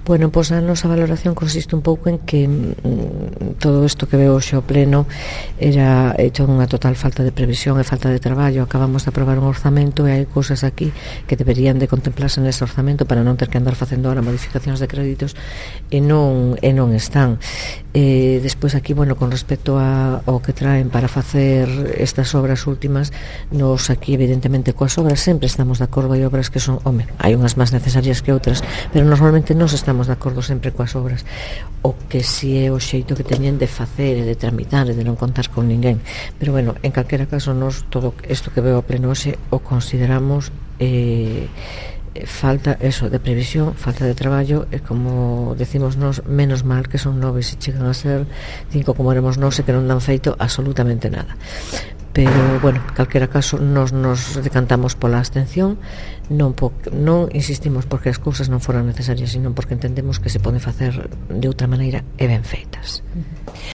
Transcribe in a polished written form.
Bueno, pois a nosa valoración consiste un pouco en que todo isto que veo hoxe ao pleno era hecho unha total falta de previsión e falta de traballo. Acabamos de aprobar un orzamento e hai cousas aquí que deberían de contemplarse nese orzamento para non ter que andar facendo ahora modificacións de créditos e non están. Despois aquí, bueno, con respecto ao que traen para facer estas obras últimas, nos aquí evidentemente coas obras sempre estamos de acordo. Hai obras que son, hai unhas máis necesarias que outras, pero normalmente nos estamos de acordo sempre coas obras. O que si é o xeito que teñen de facer e de tramitar e de non contar con ninguén. Pero bueno, en calquera caso, nos todo isto que veo ao pleno hoxe o consideramos falta eso de previsión, falta de traballo e, como decimos nos, menos mal que son 9 se chegan a ser 5 como éramos nós e que non dan feito absolutamente nada. Pero, bueno, en calquera caso nos decantamos pola abstención, non insistimos porque as cousas non foran necesarias, sino porque entendemos que se poden facer de outra maneira e ben feitas.